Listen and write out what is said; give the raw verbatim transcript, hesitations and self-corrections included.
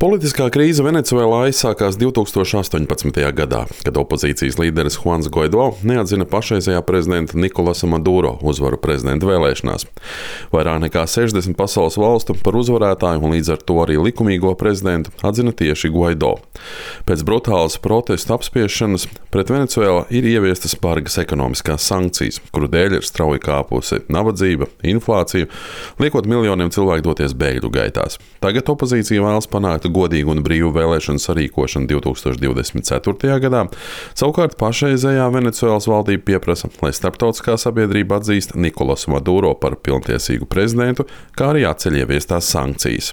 Politiskā krīze Venecuēlā aizsākās divtūkstoš astoņpadsmitajā gadā, kad opozīcijas līderis Juans Guaido neatzina pašreizējā prezidenta Nikolasa Maduro uzvaru prezidenta vēlēšanās. Vairāk nekā sešdesmit pasaules valstu par uzvarētāju un līdz ar to arī likumīgo prezidentu atzina tieši Guaido. Pēc brutālas protestu apspiešanas pret Venecuēlu ir ieviestas bargas ekonomiskās sankcijas, kuru dēļ ir strauji kāpusi nabadzība, inflācija, liekot miljoniem cilvēku doties bēgļu gaitās. Tagad opozīcija vēlas panākt godīgu un brīvu vēlēšanu sarīkošanu divtūkstoš divdesmit ceturtajā gadā. Savukārt pašreizējā Venecuēlas valdība pieprasa, lai starptautiskā sabiedrība atzīst Nikolasu Maduro par pilntiesīgu prezidentu, kā arī atceļ ieviestās sankcijas.